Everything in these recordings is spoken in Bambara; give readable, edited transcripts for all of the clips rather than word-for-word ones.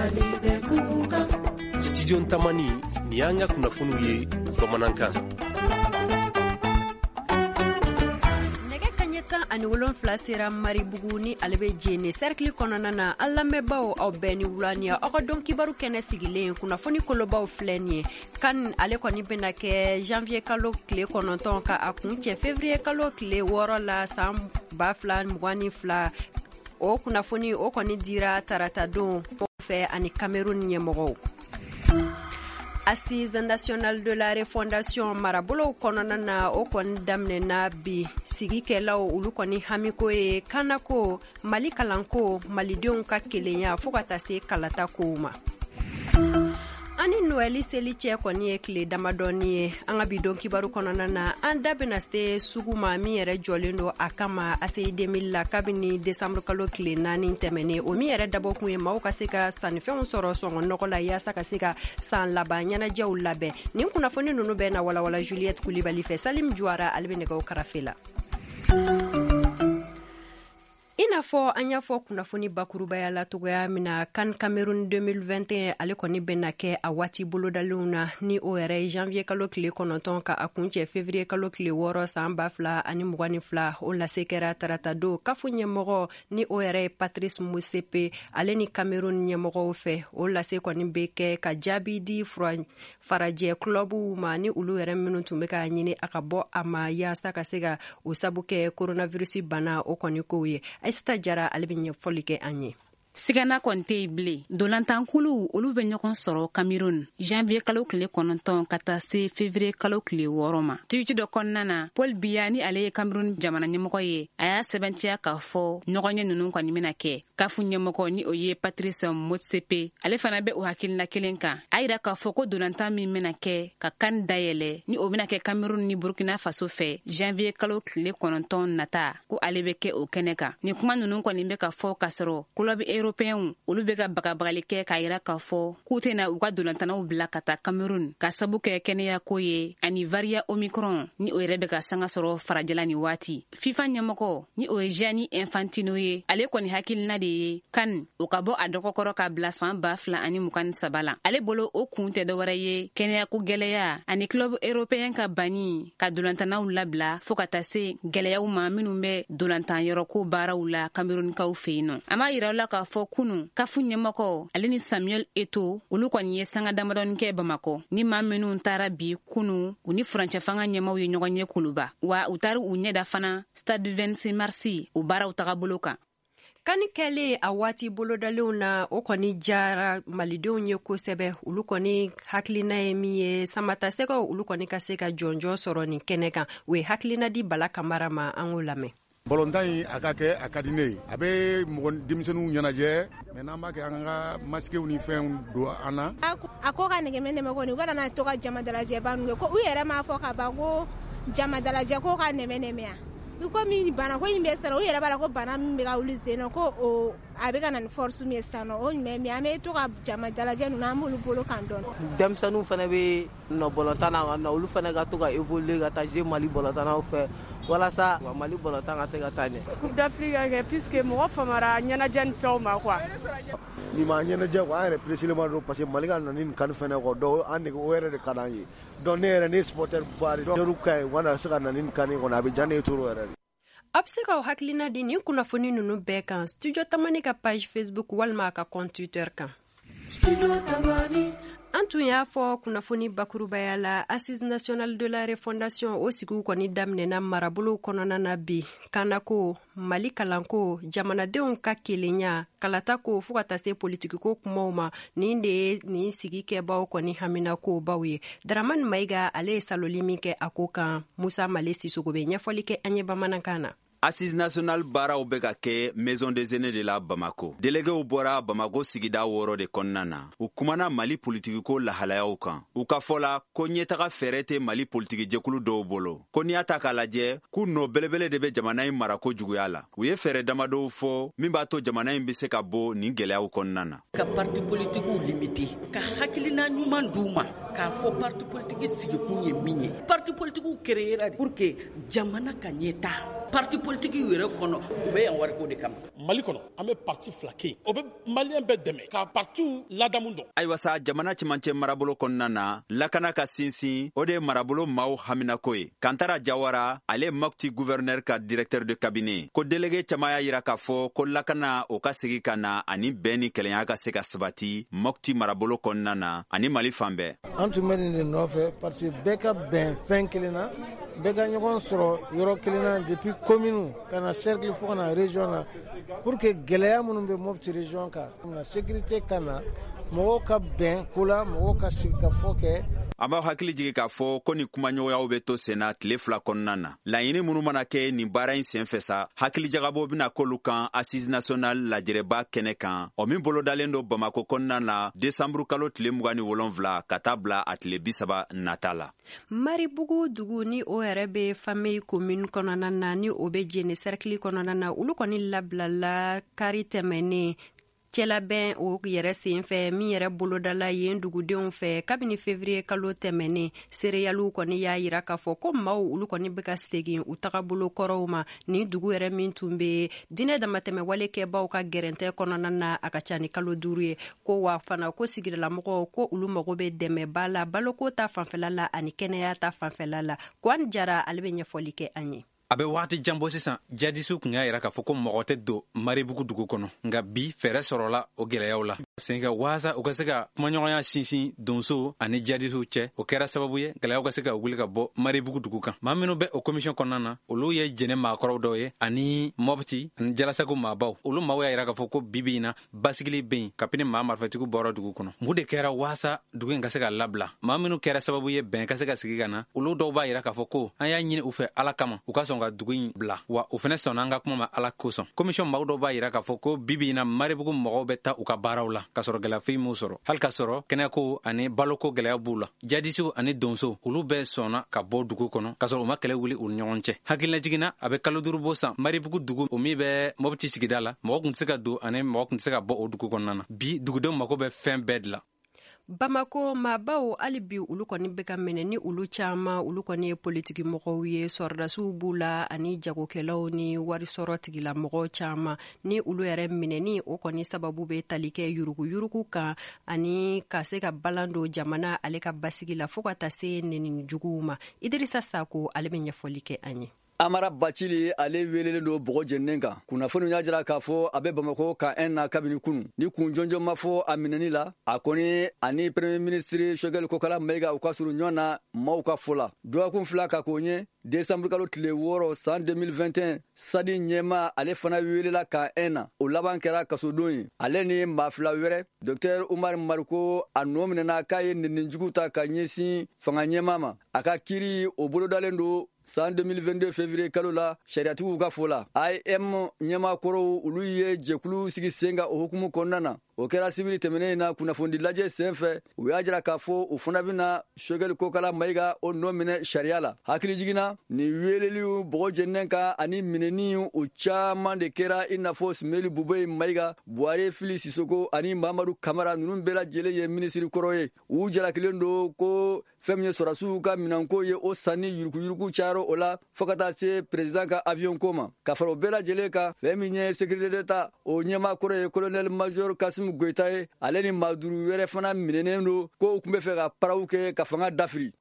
Mali bɛ kuka. Studio Tamani, nin y'an ka kunnafoniw ye bamanankan. Nɛgɛ kaɲɛ 17 sera Maribugu ni ale bɛ Jene cercle kɔnɔna na. An lamɛnbaaw, aw bɛɛ ni wula. Ni aw ka dɔn kibaru kɛnɛ sigilen, kunnafoni kolobaw filɛ nin ye. Kan ale kɔni bɛna kɛ janvier kalo tile 9 ka a kun cɛ février kalo tile 6 la san 2022. O kunnafoni o kɔni dira tarata don fɛ ani Cameroun ɲɛmɔgɔw. Assise nationale de la refondation marabolow kɔnɔna na, o kɔni daminɛna bi. Sigikɛlaw olu kɔni hamiko ye kanako, Mali kalanko, malidenw ka kelenya, fɔɔ ka taa se kalata kow ma. An ni Noɛli seli cɛ kɔni ye tile damadɔni ye. An ka bi don kibaru kɔnɔna na, an da bɛna se sugu ma min yɛrɛ jɔlen don a kama ACI 2000 la kabini desanburu kalo tile 4 tɛmɛnen, o min yɛrɛ dabɔkun ye maaw ka se ka sannifɛnw sɔrɔ sɔngɔ nɔgɔ la, yaasa ka se ka san laban ɲɛnajɛw labɛn. Nin kunnafoni ninnu bɛɛ na walawala Juliette Kulibali fɛ. Salim Juwara, ale bɛ nɛgɛw karafe la. I n'a fɔ an y'a fɔ kunnafoni bakurubaya la togoya min na, CAN Cameroun 2021 ale kɔni bɛna kɛ a waati bolodalenw na, ni o yɛrɛ ye janvier kalo tile 9 ka a kuncɛ février kalo tile 6 san 2022. O lase kɛra tarata don CAF ɲɛmɔgɔ, ni o yɛrɛ ye Patrice Motsepe, ale ni Cameroun ɲɛmɔgɔw fɛ. O lase kɔni bɛ kɛ ka jaabi di farajɛ clubw ma, ni olu yɛrɛ minnu tun bɛ k'a ɲini a ka bɔ a ma, yaasa ka se ka o sabu kɛ coronavirus bana o kɔni kow ye. Aisata Jara, ale bɛ ɲɛfɔli kɛ an ye. Sigana kɔni tɛ yen bilen. Dolantankuluw olu bɛ ɲɔgɔn sɔrɔ Cameroun janvier kalo tile 9 ka taa se février kalo tile 6 ma. Tweet dɔ kɔnɔna na, Paul Biya, ni ale ye Cameroun jamana ɲɛmɔgɔ ye, a y'a sɛbɛntiya k'a fɔ ɲɔgɔnye ninnu kɔni bɛna kɛ. CAF ɲɛmɔgɔ, ni o ye Patrice Motsepe, ale fana bɛ o hakilina kelen kan. A yira k'a fɔ ko dolantan min bɛna kɛ ka CAN dayɛlɛ, ni o bɛna kɛ Cameroun ni Burkina Faso fɛ janvier kalo tile 9 nata, ko ale bɛ kɛ o kɛnɛ kan. Nin kuma ninnu kɔni bɛ ka fɔ k'a sɔrɔ club européenw olu bɛ ka bagabagali kɛ k'a yira k'a fɔ k'u tɛna u ka dolantanaw bila ka taa Cameroun ka sabu kɛ kɛnɛyako ye ani variant Omicron, ni o yɛrɛ bɛ ka sanga sɔrɔ farajɛla ni waati. FIFA ɲɛmɔgɔ, ni o ye Gianni Infantino ye, ale kɔni hakilina de ye CAN o ka bɔ a dɔgɔkɔrɔ ka bila san 2023 la. Ale bolo, o kun tɛ dɔwɛrɛ ye kɛnɛyako gwɛlɛya ani club européen ka banni ka dolantanaw labila, fɔɔ ka taa se gwɛlɛyaw ma minnu bɛ dolantan yɔrɔko baaraw la Camerounkaw fɛ yen nɔ. An b'a yira la k'a fɔ kunu, CAF ɲɛmɔgɔ ale ni Samuel Eto'o olu kɔni ye sanga damadɔni kɛ Bamakɔ. Ni maa minnu taara bi kunu, u ni furancɛ fanga ɲɛmaw ye ɲɔgɔn ye Kuluba, wa u taara u ɲɛda fana stade 26 mars o baaraw tagabolo kan. CAN kɛlen a waati bolodalenw na, o kɔni jara malidenw ye kosɛbɛ. Olu kɔni hakilina ye min ye, samatasɛgɛw olu kɔni ka se ka jɔnjɔn sɔrɔ nin kɛnɛ kan. U ye hakilina di Bala Kamara ma, an k'o lamɛn. Balontan in, a ka kɛ, a ka di ne ye. A bɛ mɔgɔ denmisɛnninw ɲɛnajɛ, mais n'an b'a kɛ, an ka masquew ni fɛnw don an na. A ko ka nɛgɛmɛ nɛmɛ kɔni, u kana na to ka jama dalajɛba ninnu kɛ, ko u yɛrɛ m'a fɔ ka ban ko jama dalajɛ ko ka nɛmɛ nɛmɛya. I komi bana ko in bɛ sisan, u yɛrɛ b'a la ko bana min bɛ ka wuli sen nɔ, ko o a bɛ ka na ni force min ye sisan nɔ, o ɲumɛn min an bɛ to ka jama dalajɛ ninnu, an b'olu bolo kan dɔɔni. Denmisɛnninw fana bɛ nɔ balontan na, olu fana ka to ka évoluer ka taa jouer Mali balontannaw fɛ, walasa Mali balontan ka se ka taa ɲɛ. Coupe d'Afrique ka kɛ, puisque mɔgɔ famara ɲɛnajɛ ni fɛnw ma quoi. Nin ma ɲɛnajɛ quoi, an yɛrɛ pressé ma don, parce que Mali ka na ni nin CAN fɛnɛ quoi. Donc an nege o yɛrɛ de ka d'an ye. Donc ne yɛrɛ, ne ye supporter ba de ye, ka ɲi, u kana se ka na ni nin CAN kɔnɔ, a bɛ diya ne ye trop yɛrɛ de. A bɛ se k'aw hakilina di nin kunnafoni ninnu bɛɛ kan Studio Tamani ka page Facebook walima a ka compte Twitter kan. An tun y'a fɔ kunnafoni bakurubaya la, Assise nationale de la refondation o sigiw kɔni daminɛna marabolow kɔnɔna na bi. Kanako, Mali kalanko, jamanadenw ka kelenya, kalatako, fɔɔ ka taa se politikiko kumaw ma, nin de ye nin sigi kɛbaw kɔni haminakobaw ye. Daramani Mayiga, ale ye saloli min kɛ a ko kan, Musa Male Sisogo bɛ ɲɛfɔli kɛ an ye bamanankan na. Assise nationale baaraw bɛ ka kɛ Maison des Aînés de la Bamako. Déléguéw bɔra Bamako sigida wɔɔrɔ de kɔnɔna na. U kumana Mali politikiko lahalayaw kan. U ka fɔ la ko ɲɛtaga fɛɛrɛ tɛ Mali politiki jɛkulu dɔw bolo, ko n'i y'a ta k'a lajɛ, k'u nɔ belebele de bɛ jamana in marako juguya la. U ye fɛɛrɛ damadɔw fɔ min b'a to jamana in bɛ se ka bɔ nin gwɛlɛyaw kɔnɔna na. Ka parti politikiw limiter, ka hakilina ɲuman d'u ma k'a fɔ parti politique sigikun ye min ye. Parti politikiw créera pour que jamana ka ɲɛta. Parti politique yɛrɛ kɔnɔ, u bɛ yan wariko de kama. Mali kɔnɔ, an bɛ parti 2 kɛ yen, o bɛ maliyɛn bɛɛ dɛmɛ ka partiw ladamu dɔn. Ayiwa sa, jamana cɛmancɛ marabolo kɔnɔna na, lakana ka sinsin, o de ye marabolo maaw haminako ye. Kantara Jawara, ale Mopti gouverneur ka directeur de cabinet, ko délégué caman y'a yira k'a fɔ ko lakana o ka segi ka na ani bɛn ni kɛlɛnya ka se ka sabati Mopti marabolo kɔnɔna na ani Mali fan bɛɛ. An tun bɛ nin de nɔfɛ parce que bɛɛ ka bɛn fɛn kelen na, bɛɛ ka ɲɔgɔn sɔrɔ yɔrɔ kelen na, depuis commune ka na cercle fo ka na région na, pour que gɛlɛya minnu bɛ Mopti région kan na, sécurité ka na, mɔgɔw ka bɛn ko la, mɔgɔw ka sigi ka fɔ kɛ. An b'aw hakili jigi k'a fɔ ko nin kumaɲɔgɔnyaw bɛ to senna tile 2 kɔnɔna na. Laɲini minnu mana kɛ nin baara in sen fɛ sa, hakilijagabɔ bɛna k'olu kan Assise nationale lajɛrɛba kɛnɛ kan, o min bolodalen don Bamako kɔnɔna na desanburu kalo tile 27 ka taa bila a tile 30 nata la. Maribugu dugu ni o yɛrɛ bɛ Famille commune kɔnɔna na, ni o bɛ Jene cercle kɔnɔna na, olu kɔni labilala kari tɛmɛnen cɛlabɛn o yɛrɛ sen fɛ, min yɛrɛ bolodala yen dugudenw fɛ kabini février kalo tɛmɛnen. Seereyaliw kɔni y'a yira k'a fɔ ko maaw olu kɔni bɛ ka segin u tagabolo kɔrɔw ma. Nin dugu yɛrɛ min tun bɛ diinɛ damatɛmɛwale kɛbaw ka gɛrɛntɛ kɔnɔna na, a ka ca ni kalo 5 ye. Ko wa fana ko sigidalamɔgɔw ko olu mago bɛ dɛmɛba la baloko ta fanfɛla la ani kɛnɛya ta fanfɛla la. Kwan Jara, ale bɛ ɲɛfɔli kɛ an ye. A bɛ waati jan bɔ sisan, jadisiw tun y'a yira k'a fɔ ko mɔgɔ tɛ don Maribugu dugu kɔnɔ, nka bi fɛɛrɛ sɔrɔla o gɛlɛyaw la senfɛ waasa u ka se ka kumaɲɔgɔnya sinsin donso ani jadisiw cɛ. O kɛra sababu ye gɛlɛyaw ka se ka wuli ka bɔ Maribugu dugu kan. Maa minnu bɛ o komisiyɔn kɔnɔna na, olu ye Jɛnɛ maakɔrɔw dɔw ye ani Mɔpti ani Jalasagu maabaw. Olu maaw y'a yira k'a fɔ ko bi bi in na basigili bɛ yen kabini maa marifatigiw bɔra dugu kɔnɔ. Mun de kɛra waasa dugu in ka se ka labila? Maa minnu kɛra sababu ye bɛn ka se ka sigi ka na, olu dɔw b'a yira k'a fɔ ko an y'a ɲini u fɛ Ala kama u ka sɔn ka dugu in bila, wa u fɛnɛ sɔnna an ka kuma ma Ala kosɔn. Komisiyɔn maaw dɔw b'a yira k'a fɔ ko bi bi in na Maribugu mɔgɔw bɛ taa u ka baaraw la k'a sɔrɔ gɛlɛya foyi m'u sɔrɔ, hali k'a sɔrɔ kɛnɛyako ani baloko gɛlɛya b'u la. Jadisiw ani donso, olu bɛɛ sɔnna ka bɔ dugu kɔnɔ k'a sɔrɔ u ma kɛlɛ wuli u ni ɲɔgɔn cɛ. Hakililajigin na, a bɛ kalo 5 bɔ san, Maribugu dugu o min bɛ Mɔpti sigida la, mɔgɔ tun tɛ se ka don ani mɔgɔ tun tɛ se ka bɔ o dugu kɔnɔna na. Bi dugudenw mako bɛ fɛn bɛɛ de la. Bamako maabaw hali bi olu kɔni bɛ ka minɛ, ni olu caman olu kɔni ye politiki mɔgɔw ye, sɔrɔdasiw b'u la ani jagokɛlaw ni warisɔrɔ tigilamɔgɔw caman. Ni olu yɛrɛ minɛni o kɔni sababu bɛ tali kɛ yuruguyurugu kan ani ka se ka balan don jamana ale ka basigi la, fo ka taa se nɛnini juguw ma. Idirisa Sako, ale bɛ ɲɛfɔli kɛ an ye. Amara Bacili, ale welelen don bɔgɔ jeninen kan. Kunnafoniw y'a jira k'a fɔ a bɛ Bamakɔ ka un na kabini kunu. Ni kun jɔnjɔn ma fɔ a minɛni la, a kɔni ani premier ministre Choguel Kokala Mayiga u ka surun ɲɔgɔn na maaw ka fɔ la. Dɔgɔkun 2 ka k'o ɲɛ, décembre kalo tile 6 san 2021, Sadi ɲɛma ale fana welela ka un na. O laban kɛra kasodon ye. Ale ni maa 2 wɛrɛ, docteur Umar Mariko, a nɔ minɛna k'a ye nɛnijugu ta ka ɲɛsin fanga ɲɛma ma. A ka kiiri o bolodalen don san 2022 février kalo la, sariyatigiw ka fɔ la. AEM ɲɛmaakɔrɔw, olu ye jɛkulu sigi sen kan o hukumu kɔnɔna na. O kɛra sibiri tɛmɛnen in na kunnafonidi lajɛ sen fɛ. U y'a jira k'a fɔ u fana bɛna Choguel Kokala Mayiga o nɔ minɛ sariya la. Hakili jiginna nin weleliw bɔgɔ jeninen kan ani minɛni o caman de kɛra, i n'a fɔ Sumeli Bubeye Mayiga, Buware Fili Sisoko ani Mamadu Kamara. Ninnu bɛɛ lajɛlen ye minisiri kɔrɔ ye. U jalakilen don ko fɛn min ye sɔrɔdasiw ka minɛnko ye, o sanni yuruguyurugu cayara o la fo ka taa se président ka avion ko ma. Ka fara o bɛɛ lajɛlen kan, fɛn min ye sécurité d'État o ɲɛmaa kɔrɔ ye, colonel major Kasimu Goyita ye, ale ni maa 5 wɛrɛ fana minɛnen don ko u tun bɛ fɛ ka paraw kɛ ka fanga dafiri.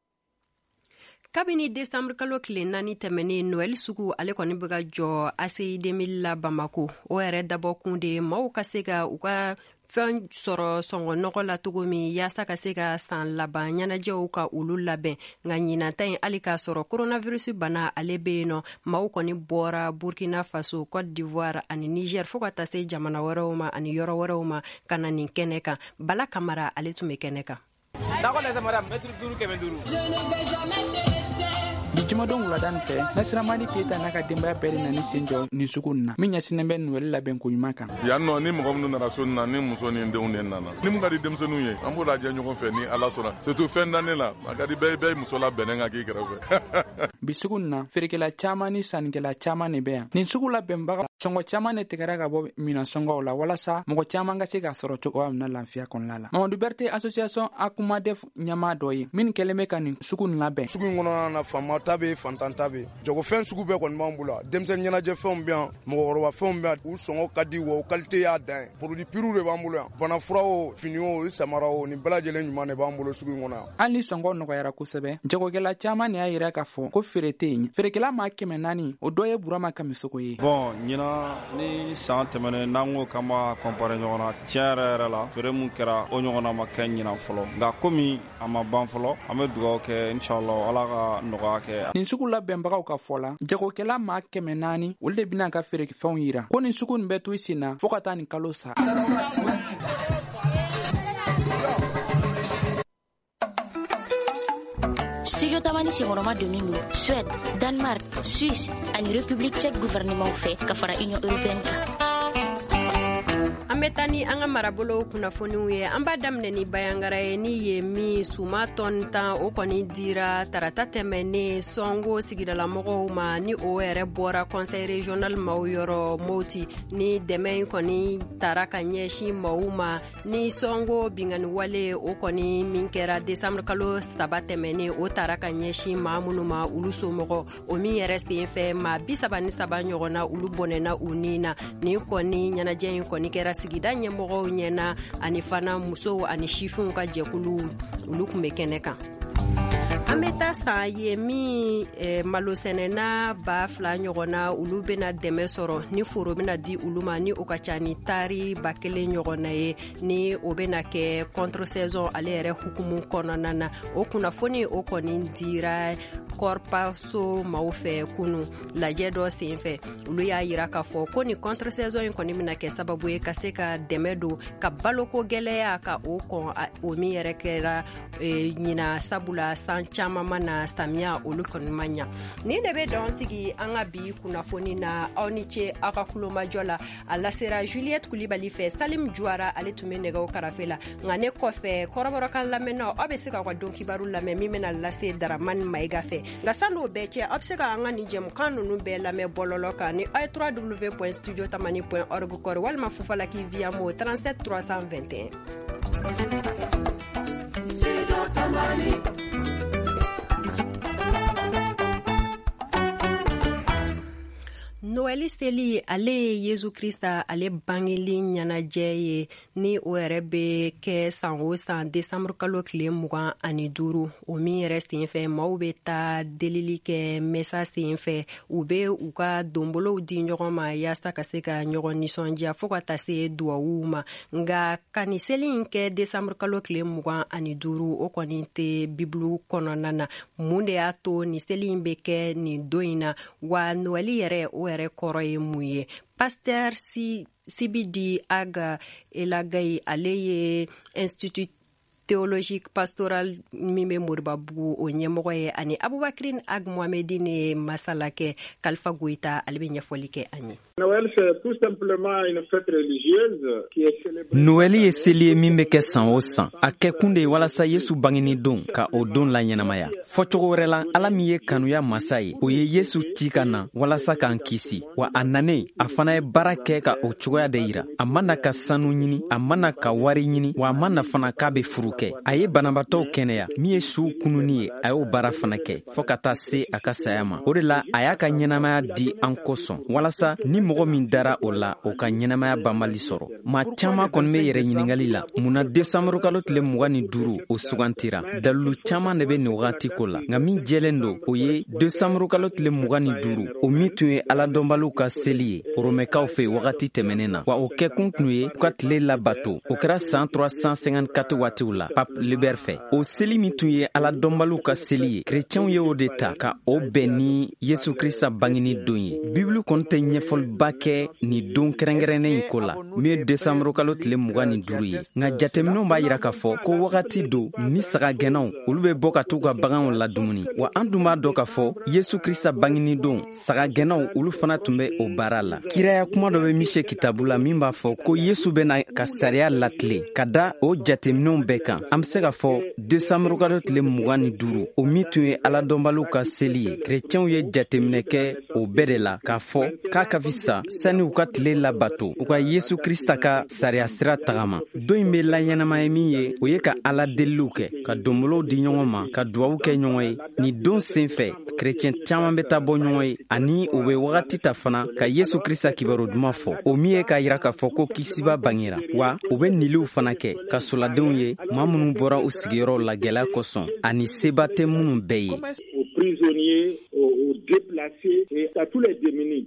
Kabini desanburu kalo tile 4 tɛmɛnen, Noɛl sugu ale kɔni bɛ ka jɔ ACI 2000 la Bamako. O yɛrɛ dabɔkun de ye maaw ka se ka u ka fɛn sɔrɔ sɔngɔ nɔgɔ la cogo min, yaasa ka se ka san laban ɲɛnajɛw ka olu labɛn. Nka ɲinan ta in, hali k'a sɔrɔ coronavirus bana ale bɛ yen nɔ, maaw kɔni bɔra Burkina Faso, Côte d'Ivoire ani Niger, fo ka taa se jamana wɛrɛw ma ani yɔrɔ wɛrɛw ma ka na nin kɛnɛ kan. Bala Kamara, ale tun bɛ kɛnɛ kan. Bi jumadon wulada nin fɛ, Nasiramadi Keyita n'a ka denbaya bɛɛ de nani sen jɔ nin sugu nin na min ɲɛsinnen bɛ Noɛli labɛn ko ɲuman kan. Yan nɔ, ni mɔgɔ minnu nana so na, ni muso ni denw de nana, ni mun ka di denmisɛnninw ye, an b'o lajɛ ɲɔgɔn fɛ ni Ala sɔnna. Surtout fɛn dannen la, a ka di bɛɛ, bɛɛ ye muso labɛnnen ka k'i kɛrɛfɛ. Bi sugu nin na, feerekɛla caman ni sannikɛla caman de bɛ yan. Nin sugu labɛnbaga, sɔngɔ caman de tigɛra ka bɔ minan sɔngɔw la walasa mɔgɔ caman ka se k'a sɔrɔ cogoya min na lafiya kɔnɔna la. Mamadu Berete, association Akumadef ɲɛmaa dɔ ye min kɛlen bɛ ka nin sugu nin labɛn. Sugu in kɔnɔna na, faama ta bɛ yen, fantan ta bɛ yen. Jagofɛn sugu bɛɛ kɔni b'an bolo. Denmisɛnnin ɲɛnajɛfɛnw bɛ yan, mɔgɔkɔrɔba fɛnw bɛ yan. U sɔngɔ ka di wa o qualité y'a dan ye. Produit pur de b'an bolo yan. Banafura o, fini o, samara o, nin bɛɛ lajɛlen ɲuman de b'an bolo sugu in kɔnɔ yan. Hali ni sɔngɔ nɔgɔyara kosɛbɛ, jagokɛla caman de y'a yira k'a fɔ ko feere tɛ yen. Feerekɛla maa 400, o dɔ ye Burama Kamisogo ye. Bon, ɲinan ni san tɛmɛnen, n'an ko k'an b'a comparer ɲɔgɔn na, tiɲɛ yɛrɛ yɛrɛ la, feere mun kɛra o ɲɔgɔnna ma kɛ ɲinan fɔlɔ. Nka komi a ma ban fɔlɔ, an bɛ dugawu kɛ, inshallah, Ala ka nɔgɔya kɛ. Nin sugu labɛnbagaw ka fɔ la, jagokɛla maa 400, olu de bɛna ka feerefɛnw yira ko nin sugu nin bɛ to i sen na fɔɔ ka taa nin kalo sa. Studio Tamani senkɔrɔma donnen don Suède, Danemark, Suisse ani République tchèque gouvernement fɛ ka fara Union européenne kan. An bɛ taa ni an ka marabolow kunnafoniw ye. An b'a daminɛ ni Bayangara ye, ni ye min suma tɔni 10, o kɔni dira tarata tɛmɛnen Sɔngo sigidalamɔgɔw ma, ni o yɛrɛ bɔra conseil régional maaw yɔrɔ Moti. Ni dɛmɛ in kɔni tara ka ɲɛsin maaw ma ni Sɔngo binkanni wale o kɔni min kɛra décembre kalo 3 tɛmɛnen, o tara ka ɲɛsin maa minnu ma, olu somɔgɔ, o min yɛrɛ sen fɛ maa 33 ɲɔgɔnna, olu bɔnɛna u ni na. Nin kɔni ɲɛnajɛ in kɔni kɛra sigida ɲɛmɔgɔw ɲɛna, ani fana musow ani sifinw ka jɛkulu, olu tun bɛ kɛnɛ kan. An bɛ taa san ye min malosɛnɛna 2000 ɲɔgɔnna, olu bɛna dɛmɛ sɔrɔ ni foro bɛna di olu ma, ni o ka ca ni tari 1000 ɲɔgɔnna ye, ni o bɛna kɛ contre saison ale yɛrɛ hukumu kɔnɔna na. O kunnafoni o kɔni dira Kɔrpaso maaw fɛ kunu lajɛ dɔ sen fɛ. Olu y'a yira k'a fɔ ko ni contre saison in kɔni bɛna kɛ sababu ye ka se ka dɛmɛ don ka baloko gɛlɛya ka o kɔn, o min yɛrɛ kɛra ɲina, sabula san caman ma na samiya olu kɔni ma ɲa. Nin de bɛ dan sigi an ka bi kunnafoni na. Aw ni ce aw ka kulomajɔ la. A lasera Juliette Kulibali fɛ, Salim Juara ale tun bɛ nɛgɛw karafe la. Nka ne kɔfɛ, kɔrɔbɔrɔkan lamɛnnaw, aw bɛ se k'aw ka don kibaru lamɛn min bɛna lase Daramani Mayiga fɛ. Nka san'o bɛɛ cɛ, aw bɛ se ka an ka nin jɛmukan ninnu bɛɛ lamɛn bɔlɔlɔ kan ni aw ye www.studiotamani.org kɔrɔ, walima Fufalaki via mo 37 321. Studio Tamani. Noɛli seli, ale ye Yesu Krista ale bangeli ɲɛnajɛ ye, ni o yɛrɛ bɛ kɛ san o san décembre kalo tile 25, o min yɛrɛ sen fɛ maaw bɛ taa delili kɛ mesa sen fɛ, u bɛ u ka donbolow di ɲɔgɔn ma yaasa ka se ka ɲɔgɔn nisɔndiya fo ka taa se duwawuw ma. Nka ka nin seli in kɛ décembre kalo tile 25, o kɔni tɛ Bibulu kɔnɔna na. Mun de y'a to nin seli in bɛ kɛ nin don in na, wa Noɛli yɛrɛ o yɛrɛ kɔrɔ ye mun ye? Pasteur Sibidi Aga Elagayi, ale ye Institut théologique pastoral min bɛ Moribabugu o ɲɛmɔgɔ ye, ani Abubakrin Ag Mohamedine ye masala kɛ. Kalifa Goyita ale bɛ ɲɛfɔli kɛ an ye. Noël ye seli ye min bɛ kɛ san o san. A kɛkun de ye walasa Yesu bangeni don ka o don laɲɛnamaya. Fɔcogo wɛrɛ la, Ala min ye kanuya masa ye, o ye Yesu ci ka na walasa k'an kisi. Wa a nanen, a fana ye baara kɛ ka o cogoya de yira. A ma na ka sanu ɲini, a ma na ka wari ɲini, wa a ma na fana k'a bɛ furu kɛ. A ye banabaatɔw kɛnɛya, min ye suw kununni ye, a y'o baara fana kɛ fɔɔ ka taa se a ka saya ma. O de la, a y'a ka ɲɛnamaya di an kosɔn, walasa ni mɔgɔ min dara o la, o ka ɲɛnamaya banbali sɔrɔ. Maa caman kɔni bɛ yɛrɛ ɲininkali la, mun na décembre kalo tile 25 o sugantira? Dalilu caman de bɛ nin wagati ko la, nka min jɛlen don, o ye décembre kalo tile 25, o min tun ye aladɔnbaliw ka seli ye Romɛkaw fɛ wagati tɛmɛnen na, wa o kɛkun tun ye u ka tile labato. O kɛra san 354 waatiw la Pape Libère fɛ. O seli min tun ye aladɔnbaliw ka seli ye, kerecɛnw ye o de ta ka o bɛn ni Yesu Krista bangeni don ye. Bibulu kɔni tɛ ɲɛfɔliba kɛ nin don kɛrɛnkɛrɛnnen in ko la, min ye décembre kalo tile 25 ye. Nka jateminɛw b'a yira k'a fɔ ko wagati don ni sagagɛnnaw olu bɛ bɔ ka t'u ka baganw ladumuni. Wa an dun b'a dɔn k'a fɔ Yesu Krista bangeni don, sagagɛnnaw olu fana tun bɛ o baara la. Kiraya kuma dɔ bɛ Mise kitabu la min b'a fɔ ko Yesu bɛna ka sariya latilen ka da o jateminɛw bɛɛ kan. kan, an be se k'a fɔ desanburukalo tile 25, o min tun ye aladɔnbaliw ka seli ye, kerecɛnw ye jateminɛ kɛ o bɛɛ de la k'a fɔ k'a ka fisa sani u ka tile labato, u ka Yesu Krista ka sariya sira tagama. Don in bɛ laɲɛnamaya min ye, o ye ka ala deliliw kɛ, ka donbolow di ɲɔgɔn ma, ka duwawu kɛ ɲɔgɔn ye. Nin don sen fɛ, kerecɛn caman bɛ taa bɔ ɲɔgɔn ye, ani u bɛ wagati ta fana ka Yesu Krista kibaru duman fɔ, o min ye k'a yira k'a fɔ ko kisiba bangera. Wa u bɛ niliw fana kɛ ka soladenw ye, maa minnu bɔra u sigiyɔrɔw la gɛlɛya kosɔn, ani seba tɛ minnu bɛɛ ye. Aux prisonniers, aux déplacés et à tous les démunis.